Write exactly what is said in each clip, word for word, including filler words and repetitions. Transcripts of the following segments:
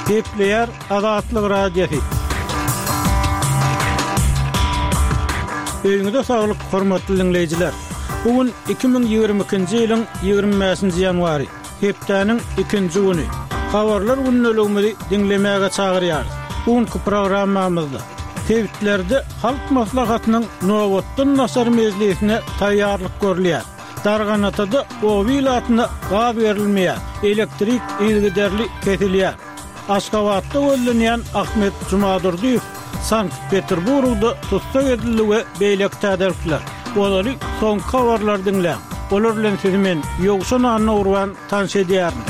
Gepleýär Azatlyk Radiosy. Öýüňize saglyk, hormatly diňleýjiler! Bu gün iki müň ýigrimi ikinji ýylyň ýigrimi bäşinji ýanwary, hepdäniň ikinji güni. Habarlar gündeligimizi diňlemäge çagyrýarys. Bu günki programmamyzda sebitlerde Halk Maslahatynyň nobatdan daşary mejlisine taýýarlyk görülýär. Darganatada oba ilatyna gaz berilmeýär, elektrik yzygiderli kesilýär. Aşgabatda gözlenýän Ahmet Jumadurdyýew Sankt-Peterburgda tussag edildi we beýleki täzelikler. Ozaly soňky habarlary diňläň. Olar bilen sizi men, Ýowşan Annagurban tanyş edýärin.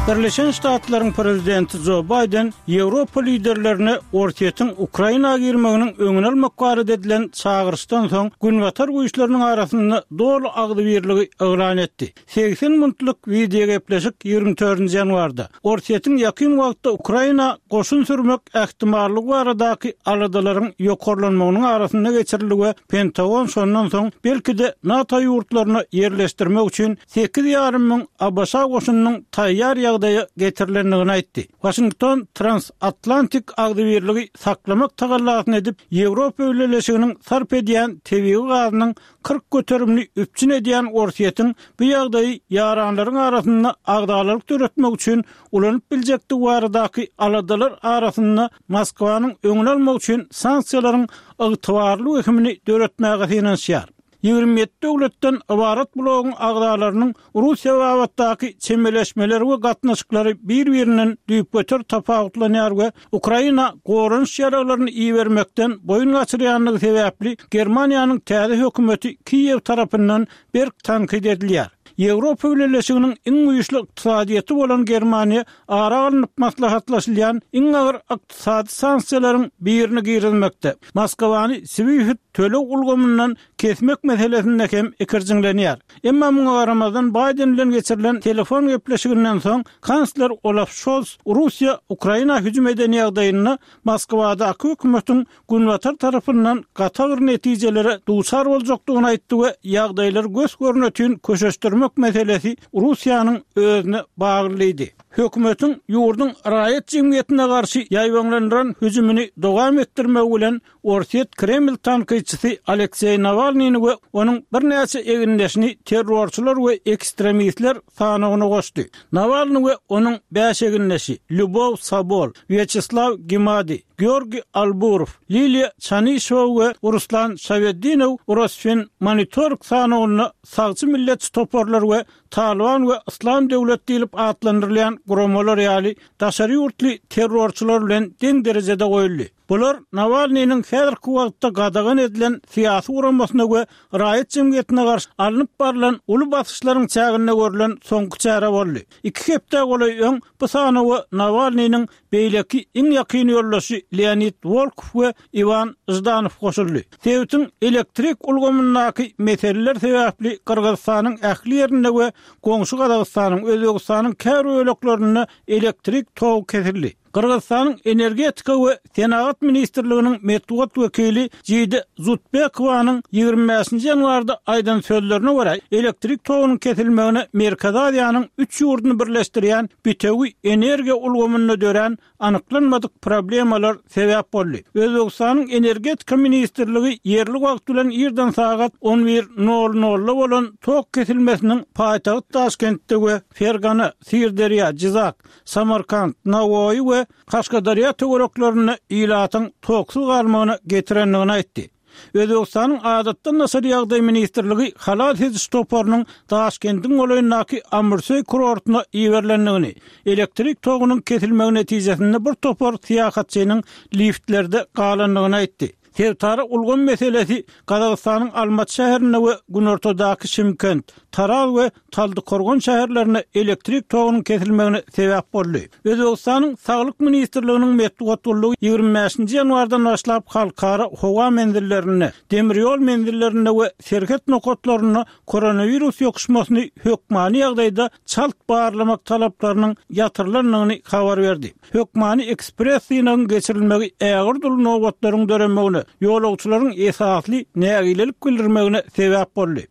Birleşen Ştatlaryň prezidenti Jo Baýden Ýewropa liderlerine Orsýetiň Ukraina girmeginiň öňüni almak barada edilen çagyryşdan soň Günbatar güýçleriniň arasynda doly agzybirligi yglan etdi. Segsen minutlyk wideogepleşik ýigrimi dördünji ýanwarda Orsýetiň ýakyn wagtda Ukraina goşun sürmek ähtimallygy baradaky aladalaryň ýokarlanmagynyň arasynda geçirildi we Pentagon şondan soň belki-de NATO ýurtlaryna ýerleşdirmek üçin sekiz ýarym müň ABŞ goşunynyň taýýar ýagdaýa getirilendigini aýtdy. Waşington transatlantik agzybirligi saklamak tagallasyny edip, Ýewropa Bileleşiginiň sarp edýän tebigy gazynyň kyrk göterimini üpjün edýän Orsýetiň bu ýagdaýy ýaranlaryň arasynda agzalalyk döretmek üçin ulanyp biljekdigi baradaky aladalar arasynda Moskwanyň öňüni almak üçin sanksiýalaryň ygtybarly wehimini döretmäge synanyşýar. Ýigrimi ýedi döwletden ybarat bloguň agzalarynyň Russiýa babatdaky çemeleşmeleri we gatnaşyklary bir-birinden düýpgöter tapawutlanýar we Ukraina goranyş ýaraglaryny ibermekden boýun gaçyrýandygy sebäpli Germaniýanyň täze hökümeti Kiýew tarapyndan berk tankyt edilýär. Ýewropa Bileleşiginiň iň güýçli ykdysadyýeti bolan Germaniýa ara alnyp maslahatlaşylýan iň agyr ykdysady sanksiýalaryň birini girizmekde, Moskwany SWIFT töleg ulgamyndan kesmek meselesinde hem ikirjiňlenýär. Emma muňa garamazdan, Baýden bilen geçirilen telefon gepleşiginden soň, kansler Olaf Şolz Russiýa Ukraina hüjüm eden ýagdaýynda Moskwadaky hökümetiň Günbatar tarapyndan gaty agyr netijelere duçar boljakdygyny aýtdy we ýagdaýlary gös-görnetin köşeşdirmek meselesi Russiýanyň özüne bagly diýdi. Hökümetiň ýurduň raýat jemgyýetine garşy ýaýbaňlandyran hüjümini dowam etdirmegi bilen Orsýet Kreml tankytçysy Alekseý Nawalnyny we onuň birnäçe egindeşini terrorçylar we ekstremistler sanawyna goşdy. Nawalny we onuň bäş egindeşi, Lýubow Sobol, Wýaçeslaw Gimadi, Georgiý Alburow, Liliýa Çanişewa we Ruslan Şaweddinow Rosfinmonitoring sanawynda sagçy milletçi toparlar we Talyban we Yslam döwlet diýlip atlandyrylýan guramalar ýaly daşary ýurtly terrorçylar bilen deň derejede goýuldy. Bular Nawalnynyň häzirki wagtda gadagan edilen syýasy guramasyna we raýat jemgyýetine garşy alnyp barlan uly basyşlaryň çäginde görlen soňky çäre boldy. Iki hepdä golaý öň bu sanawa Nawalnynyň beýleki iň ýakyn ýoldaşy Leonid Wolkow we Iwan Ždanow goşuldy. Sebitiň elektrik ulgamyndaky meseleler sebäpli Gyrgyzystanyň ähli ýerinde we goňşy Gazagystanyň, Özbegistanyň käbir böleklerinde elektrik togy kesildi. Gyrgyzystanyň Energetika we senagat ministrliginiň metbugat wekili Jide Zutbekowanyň ýigrimi bäşinji ýanwarda aýdan sözlerine görä, elektrik togunyň kesilmegine Merkezi Aziýanyň üç ýurduny birleşdirýän bitewi energiýa ulgamynda dörän anyklanmadyk problemalar sebäp boldy. Özbegistanyň Energetika ministrligi ýerli wagt bilen irden sagat on bir nol nolda bolan tok kesilmesiniň paýtagt Daşkentde we Fergana, Syrderýa, Jyzak, Samarkant, Nawoýy we Kaşgaderýa töwereklerinde ilatyň toksuz galmagyna getirendigini aýtdy. Özbegistanyň Adatdan daşary ýagdaý ministrligi halas ediş toparynyň Daşkendiň golaýyndaky Amurseý kurortyna iberilendigini, elektrik togunyň kesilmegi netijesinde bir topar syýahatçynyň liftlerde galandygyny aýtdy. Sebitara ulgam meselesi Gazagystanyň Almaty şäherinde we günortadaky Şymkent, Taraz we Taldykorgan şäherlerinde elektrik togunyň kesilmegine sebäp boldy. Özbegistanyň Saglyk ministrliginiň metbugat gullugy ýigrimi bäşinji ýanwardan başlap halkara howa menzillerinde, demir ýol menzillerinde we serhet nokatlarynda koronawirus ýokuşmasyny hökmany ýagdaýda çalt barlamak talaplarynyň ýatyrylandygyny habar berdi. Hökmany ekspress synagyň geçirilmegi ägirt uly nobatlaryň döremegine, ýolagçylaryň esasly nägilelik bildirmegine sebäp boldy.